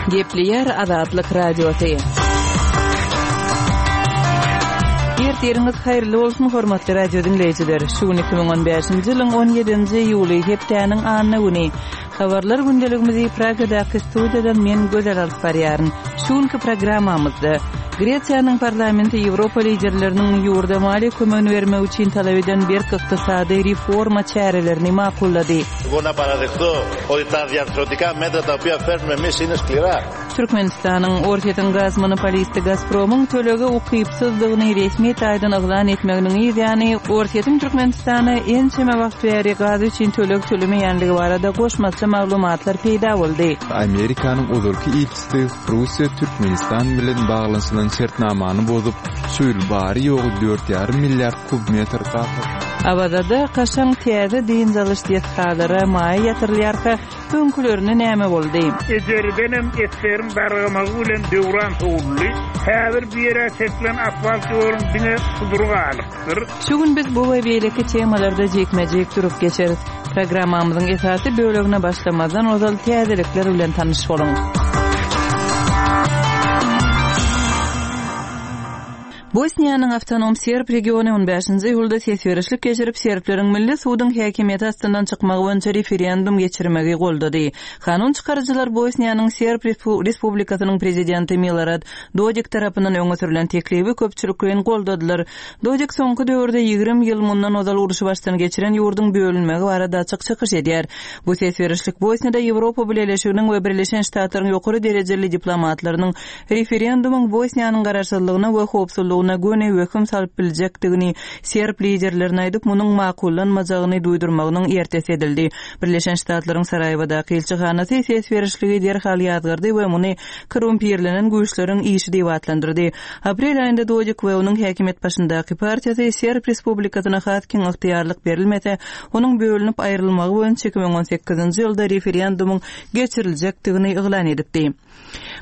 Gepleýär Azatlyk Radiosy. Ertiriňiz haýyrly bolsun, hormatly radio diňleýjiler! Şu gün 2015-nji ýylyň 17-nji iýuly, hepdäniň anna güni. Habarlar gündeligimizi Pragadaky studiýadan men Gözel alyp barýaryn. Şu günki programmamyzda Gresiýanyň parlamenti Ýewropa liderleriniň ýurda maliýe kömegini bermek üçin talap eden berk ykdysady reforma çärelerini makullady. Türkmenistanyň Orsýetiň gaz monopolisti Gazpromyň tölege ukypsyzdygyny resmi taýdan yglan etmeginiň yz ýany, Orsýetiň Türkmenistana ençeme wagt bäri gaz üçin töleg tölemeýänligi barada goşmaça maglumatlar peýda boldy. Amerikanyň ozalky ilçisi Russiýa Türkmenistan bilen baglanyşylan şertnamany bozup, şu ýyl bary-ýogy dört ýarym milliard kub metr gaz Awazada kaşaň täze dynç alyş desgalara maýa ýatyrylýarka, Öňkülerine näme boldy? Ejeridenem esgeriň dargamagy bilen döwran sowuldy. Häzir bu ýere çekilen asfalt ýoluň diňe sudury galypdyr. Şu gün biz bu we beýleki temalarda jikme-jik durup geçeris. Programmamyzyň esasy bölegine başlamazdan ozal täzelikler bilen tanyş boluň. Bosniýanyň awtonom serb regiony on bäşinji iýulda ses berişlik geçirip, serbleriň milli suduň häkimiýeti astyndan çykmagy boýunça referendum geçirmegi goldady. Kanun çykaryjylar Bosniýanyň Serb Respublikasynyň prezidenti Milorad Dodik tarapyndan öňe sürlen teklibi köpçülikleýin goldadylar. Dodik soňky döwürde 20 ýyl mundan ozal urşy başdan geçiren ýurduň bölünmegi barada açyk çykyş edýär. Bu ses berişlik Bosniýada Ýewropa Bileleşiginiň we Birleşen Ştatlaryň ýokary derejeli diplomatlarynyň Referendumyň Bosniýanyň garaşsyzlygyna we howpsuzlygyna göni wehim salyp biljekdigini serb liderlerine aýdyp, munuň makullanmajagyny duýdurmagynyň ertesi edildi. Birleşen Ştatlaryň Saraýewadaky ilçihanasy ses berişligi derhal ýazgardy we muny korrumpirlenen güýçleriň işi diýip atlandyrdy. Aprel aýynda Dodik we onuň häkimiýet başyndaky partiýasy Serb Respublikasyna has giň ygtyýarlyk berilmese, onuň bölünip aýrylmagy boýunça 2018-nji ýylda referendumyň geçiriljekdigini yglan edipdi.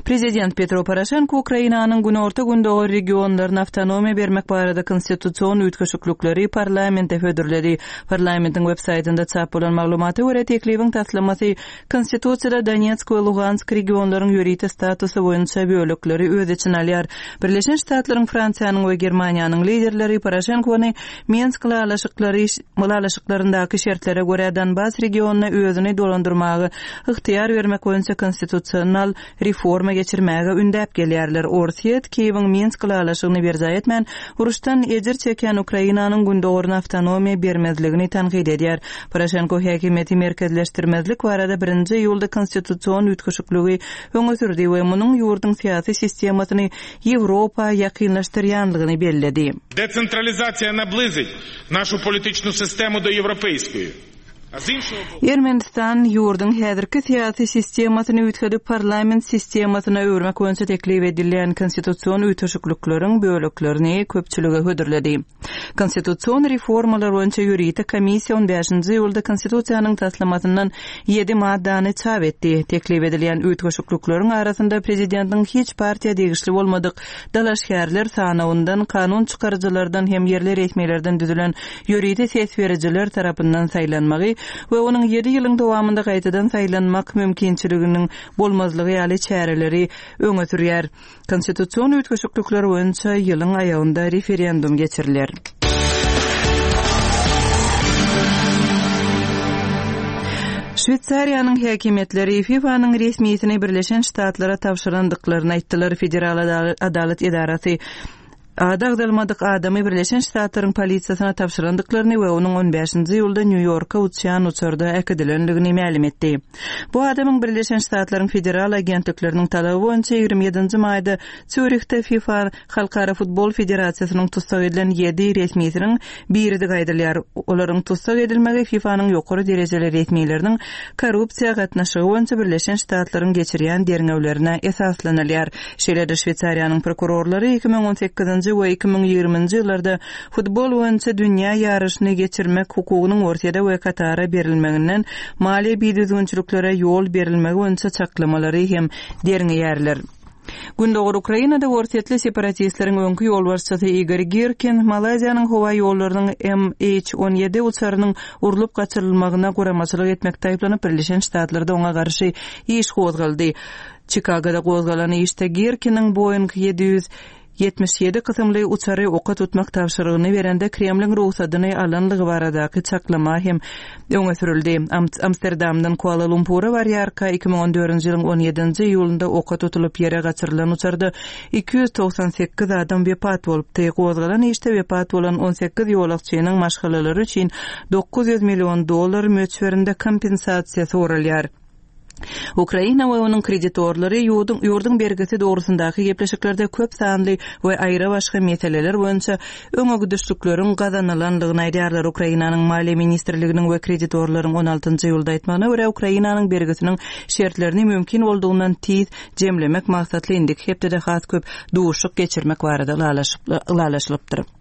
Prezident Petro Poroşenko Ukrainanyň günorta-gündogar regionlaryna awtonomiýa bermek barada konstitusion üýtgeşiklikleri parlamente hödürledi. Parlamentiň web-saýtynda çap bolan maglumata görä, teklibiň taslamasy Konstitusiýada Donetsk we Lugansk regionlaryň ýörite statusy boýunça bölekleri öz içine alýar. Birleşen Ştatlaryň, Fransiýanyň we Germaniýanyň liderleri Poroşenkony Minsk ylalaşyklary ylalaşyklaryndaky şertlere görä Donbas regionyna özüni dolandyrmaga ygtyýar bermek boýunça konstitusional reforma geçirmäge ündäp gelýärler. Orsýet Kiýewiň Minsk ylalaşygyny berjaý etmän, uruşdan ejir çekýän Ukrainanyň gündogaryna awtonomiýa bermezligini tankyt edýär. Poroşenko häkimiýeti merkezleşdirmezlik barada birinji iýulda konstitusion üýtgeşikligi öňe sürdi we munuň ýurduň syýasy sistemasyny Ýewropa ýakynlaşdyrýanlygyny belledi. Desentralizasiýa nablizit našu politiçnu sistemu do ýewropeýskoýi. Ermenistan ýurduň häzirki syýasy sistemasyny üýtgedip, parlament sistemasyna öwürmek boýunça teklip edilýän konstitusion üýtgeşiklikleriň böleklerini köpçülige hödürledi. Konstitusion reformalar boýunça ýörite komissiýa on bäşinji iýulda Konstitusiýanyň taslamasyndan ýedi maddany çap etdi. Teklip edilýän üýtgeşiklikleriň arasynda prezidentiň hiç partiýa degişli bolmadyk dalaşgärler sanawyndan, kanun çykaryjylardan hem ýerli resmilerden düzülen ýörite ses berijiler tarapyndan saýlanmagy we onuň ýedi ýylyň dowamynda gaýtadan saýlanmak mümkinçiliginiň bolmazlygy ýaly çäreleri öňe sürýär. Konstitusion üýtgeşiklikler boýunça ýylyň aýagynda referendum geçiriler. Şweýsariýanyň häkimiýetleri FIFA-nyň resmisini Birleşen Ştatlara tabşyrandyklaryny aýtdylar. Federal adalat edarasy ady agzalmadyk adamy Birleşen Ştatlaryň polisiýasyna tabşyrandyklaryny we onuň on bäşinji iýulda Nýu-Ýorka uçýan uçarda äkidilendigini mälim etdi. Bu adamyň Birleşen Ştatlaryň federal agentlikleriniň talaby boýunça 27-nji maýda Sýurihde FIFA Halkara futbol federasiýasynyň tussag edilen ýedi resmisiniň biridigi aýdylýar. Olaryň tussag edilmegi FIFA-nyň ýokary derejeli resmileriniň korrupsiýa gatnaşygy boýunça Birleşen Ştatlaryň geçirýän derňewlerine esaslanylýar. Şeýle-de Şweýsariýanyň prokurorlary 2018-nji we 2020-nji ýyllarda futbol boýunça dünýä ýaryşyny geçirmek hukugynyň Orsýede we Katara berilmeginden maliýe bidüzgünçiliklere ýol berilmegi boýunça çaklamalary hem derňeýärler. Gündogar Ukrainada orsýetli separatistleriň öňki ýolbaşçysy Igor Girkin Malaýziýanyň howa ýollarynyň MH 17 uçarynyň urlup gaçyrylmagyna guramaçylyk etmekde aýyplanyp, Birleşen Ştatlarda oňa garşy iş gozgaldy. Çikagoda gozgalan işde Girkiniň Boeing 777 kysymly uçary oka tutmak tabşyrygyny berende Kremliň rugsadyny alanlygy baradaky çaklama hem öňe sürüldi. Amsterdamdan Kuala-Lumpura barýarka, 2014-nji ýylyň on ýedinji iýulynda oka tutulyp ýere gaçyrylan uçarda 298 adam wepat bolupdy. Gozgalan işde wepat bolan 18 ýolagçynyň maşgalalary üçin 900 million dollar möçberinde kompensasiýa soralýar. Ukraina we onuň kreditorlary ýurduň ýurduň bergisi dogrusyndaky gepleşiklerde köp sanly we aýra-başga meseleler boýunça öňegidişlikleriň gazanylandygyny aýdýarlar. Ukrainanyň Maliýe ministrliginiň we kreditorlaryň on altynjy iýulda aýtmagyna görä, Ukrainanyň bergisiniň şertlerini mümkin boldugyndan tiz jemlemek maksatly indiki hepdede has köp duşuşyk geçirmek barada ylalaşylypdyr.